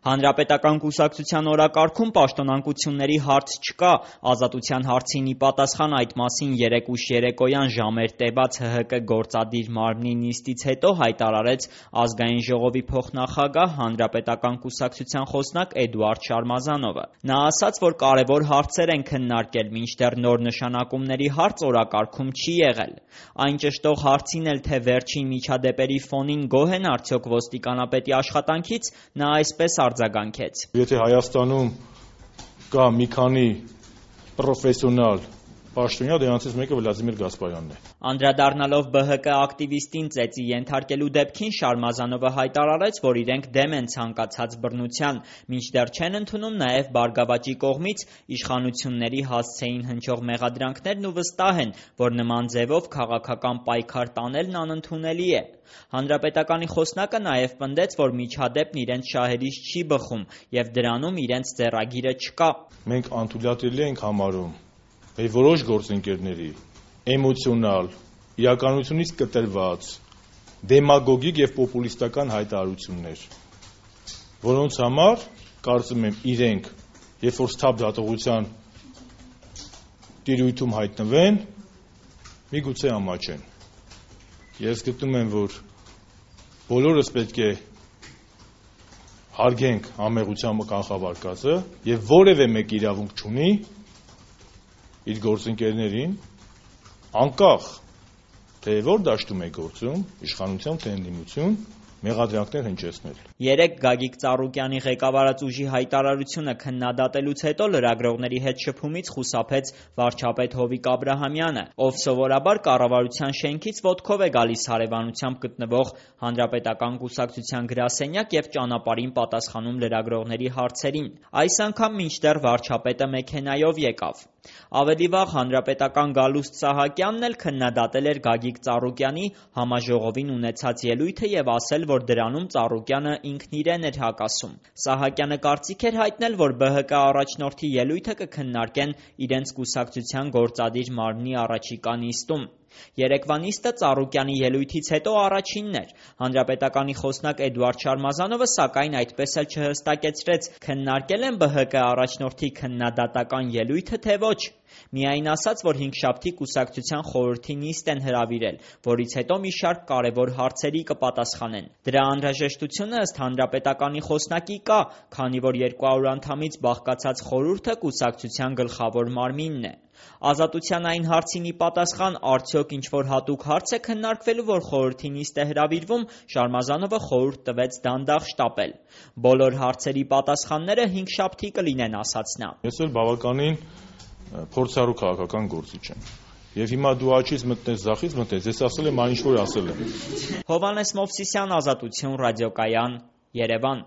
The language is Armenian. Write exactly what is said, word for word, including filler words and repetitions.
Հանրապետական կուսակցության օրակարգում պաշտոնանկությունների հարց չկա, Ազատության հարցին ի պատասխան այդ մասին երեկ ուշ երեկոյան ժամեր տևած Հ Հ Կ գործադիր մարմնի նիստից հետո հայտարարեց Ազգային ժողովի փոխնախագահ, Հանրապետական կուսակցության խոսնակ Էդուարդ Շարմազանովը: Նա ասաց, որ կարևոր հարցեր են քննարկել, մինչդեռ նոր նշանակումների հարց օրակարգում չի եղել: Այն ճշտող հարցին էլ, թե վերջին միջադեպերի ֆոնին գոհ են արդյոք ոստիկանապետի աշխատանքից, նա այսպես արձագանքեց. Եթե Հայաստանում կա մի քանի պրոֆեսիոնալ պաշտոնյա, դրանցից մեկը Վլադիմիր Գասպարյանն է: Անդրադառնալով Բը Հ Կ ակտիվիստին ծեծի ենթարկելու դեպքին, Շարմազանովը հայտարարեց, որ իրենք դեմ են ցանկացած բռնության, մինչդեռ չեն ընդունում նաև «Բարգավաճի» կողմից իշխանությունների հասցեին հնչող մեղադրանքներն ու վստահ են, որ նման ձևով քաղաքական պայքար տանելն անընդունելի է: Հանրապետականի խոսնակը նաև պնդեց, որ միջադեպն իրենց շահերից չի բխում և դրանում իրենց ձեռագիրը չկա: Մենք անթույլատրելի ենք համարում մեր որոշ գործընկերների էմոցիոնալ, իրականությունից կտրված, դեմագոգիկ և պոպուլիստական հայտարարություններ, որոնց համար, կարծում եմ, իրենք, երբ որ սթափ դատողության տիրույթում հայտնվեն, միգուցե ամաչեն: Ես գտնում եմ, որ բոլորս պետք է հարգենք անմեղության կանխավարկածը և որևէ մեկը իրավունք չունի իր գործընկերներին, անկախ թե որ դաշտում է գործում, իշխանություն թե ընդդիմություն, մեղադրանքներ հնչեցնել: Երեկ Գագիկ Ծառուկյանի ղեկավարած ուժի հայտարարությունը քննադատելուց հետո լրագրողների հետ շփումից խուսափեց վարչապետ Հովիկ Աբրահամյանը, ով սովորաբար կառավարության շենքից ոտքով է գալիս հարևանությամբ գտնվող Հանրապետական կուսակցության գրասենյակ և ճանապարհին պատասխանում լրագրողների հարցերին: Այս անգամ մինչդեռ վարչապետը մեքենայով եկավ: Ավելի վաղ Հանրապետական գալուստ Սահակյանն էլ քննադատել էր Գագիկ Ծառուկյանի համաժողովին ունեցած ելույթը և ասել, որ դրանում Ծառուկյանը ինքն իրեն էր հակասում: Սահակյանը կարծիք էր հայտնել, որ Բը Հ Կ առաջնորդի ելույթը կքննարկեն իրենց կուսակցության գործադիր մարմնի առաջիկա նիստում: Երեկվա նիստը Ծառուկյանի ելույթից հետո առաջինն էր: Հանրապետականի խոսնակ Էդուարդ Շարմազանովը, սակայն, այդպես էլ չհստակեցրեց քննարկել են Բը Հ Կ առաջնորդի քննադատական ելույթը, թե ոչ: Միայն ասաց, որ հինգշաբթի կուսակցության խորհրդի նիստ են հրավիրել, որից հետո մի շարք կարևոր հարցերի կպատասխանեն: Դրա անհրաժեշտությունը, ըստ Հանրապետականի խոսնակի, կա, քանի որ երկու հարյուր անդամից բաղկացած խորհուրդը կուսակցության գլխավոր մարմինն է: Ազատության այն հարցին ի պատասխան, արդյոք ինչ-որ հատուկ հարց է քննարկվելու, որ խորհրդի նիստ է հրավիրվում, Շարմազանովը խորհուրդ տվեց դանդաղ շտապել: Բոլոր հարցերի պատասխանները հինգշաբթի կլինեն, ասաց նա: Ես էլ բավականին փորձառու քաղաքական գործիչ եմ: Եվ հիմա դու աջից մտնես, ձախից մտնես, ես ասել եմ այն, ինչ որ ասել եմ: Հովհաննես Մովսիսյան, Ազատություն, ռադիոկայան, Երևան: